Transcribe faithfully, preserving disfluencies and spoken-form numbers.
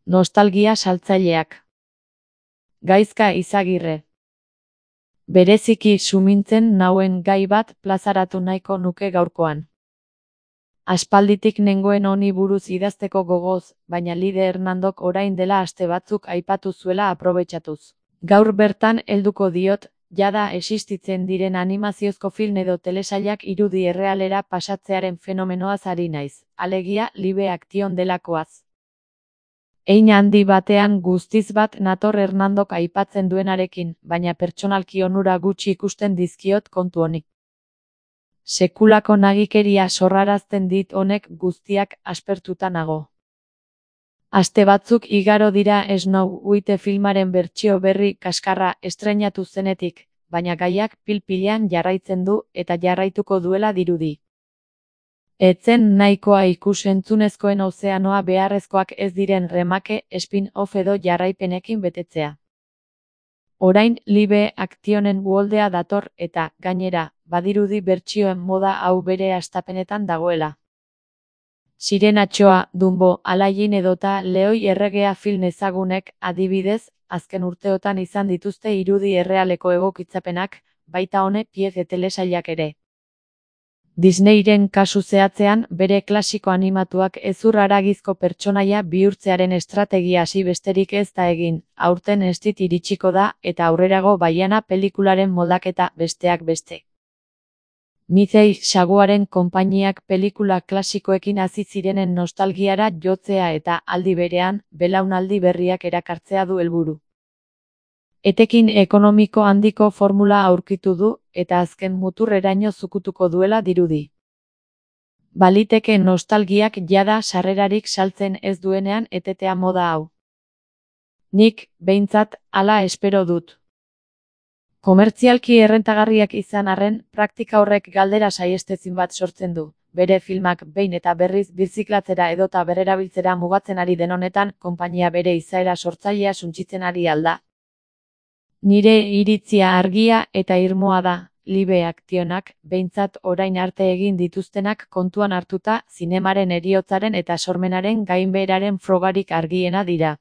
Nostalgia saltzaileak. Gaizka Izagirre. Bereziki sumintzen nauen gai bat plazaratu nahiko nuke gaurkoan. Aspalditik nengoen honi buruz idazteko gogoz, baina Lide Hernandok orain dela aste batzuk aipatu zuela aprobetxatuz. Gaur bertan helduko diot, jada existitzen diren animaziozko film edo telesailak irudi errealera pasatzearen fenomenoaz ari naiz, alegia live action delakoaz. Hein handi batean guztiz bat nator Hernandok aipatzen duenarekin, baina pertsonalki onura gutxi ikusten dizkiot kontu honi. Sekulako nagikeria sorrarazten dit honek guztiak aspertuta nago. Aste batzuk igaro dira Snow White filmaren bertsio berri kaskarra estreinatu zenetik, baina gaiak pil-pilean jarraitzen du eta jarraituko duela dirudi. Etzen nahikoa ikus-entzunezkoen ozeanoa beharrezkoak ez diren remake, spin-off edo jarraipenekin betetzea. Orain live actionen uholdea dator eta, gainera, badirudi bertsioen moda hau bere hastapenetan dagoela. Sirenatxoa, Dumbo, Aladdin edota Leoi erregea film ezagunek, adibidez, azken urteotan izan dituzte irudi errealeko egokitzapenak, baita hone pieze telesailak ere. Disneyren kasu zehatzean, bere klasiko animatuak hezur haragizko pertsonaia bihurtzearen estrategia hasi besterik ez da egin, aurten ez dit iritsiko da eta aurrerago Baiana pelikularen moldaketa besteak beste. Mizei saguaren konpainiak pelikula klasikoekin hasi zirenen nostalgiara jotzea eta aldi berean, belaunaldi berriak erakartzea du helburu. Etekin ekonomiko handiko formula aurkitu du, eta azken muturreraino zukutuko duela dirudi. Baliteke nostalgiak jada sarrerarik saltzen ez duenean etetea moda hau. Nik, behintzat, hala espero dut. Komertzialki errentagarriak izan arren, praktika horrek galdera saihestezin bat sortzen du. Bere filmak behin eta berriz birziklatzera edota berrerabiltzera mugatzen ari den honetan, konpainia bere izaera sortzailea suntsitzen ari alda. Nire iritzia argia eta irmoa da, live actionak, behintzat orain arte egin dituztenak kontuan hartuta, zinemaren heriotzaren eta sormenaren gainbeheraren frogarik argiena dira.